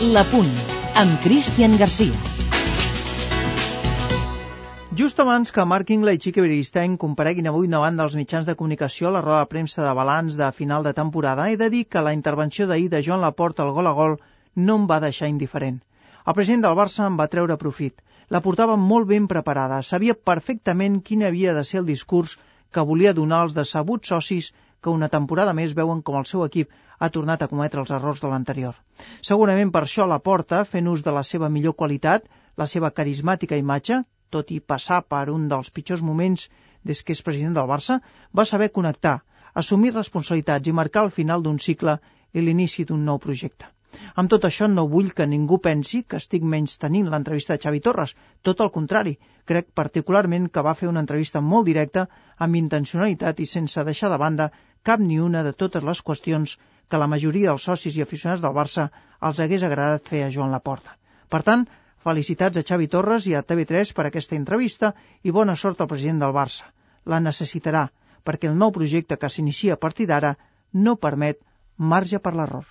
La Punt, amb Cristian Garcia. Just abans que Mark Ingle i Xique Beristain compareguin avui davant dels mitjans de comunicació a la roda de premsa de balanç de final de temporada, he de dir que la intervenció d'ahir de Joan Laporta al gol a gol no em va deixar indiferent. El president del Barça en va treure profit. La portava molt ben preparada, sabia perfectament quin havia de ser el discurs que volia donar als decebuts socis que una temporada més veuen com el seu equip ha tornat a cometre els errors de l'anterior. Segurament per això Laporta, fent ús de la seva millor qualitat, la seva carismàtica imatge, tot i passar per un dels pitjors moments des que és president del Barça, va saber connectar, assumir responsabilitats i marcar el final d'un cicle i l'inici d'un nou projecte. Amb tot això no vull que ningú pensi que estic menys tenint l'entrevista de Xavi Torres, tot el contrari, crec particularment que va fer una entrevista molt directa, amb intencionalitat i sense deixar de banda cap ni una de totes les qüestions que la majoria dels socis i aficionats del Barça els hagués agradat fer a Joan Laporta. Per tant, felicitats a Xavi Torres i a TV3 per aquesta entrevista i bona sort al president del Barça. La necessitarà, perquè el nou projecte que s'inicia a partir d'ara no permet marge per l'error.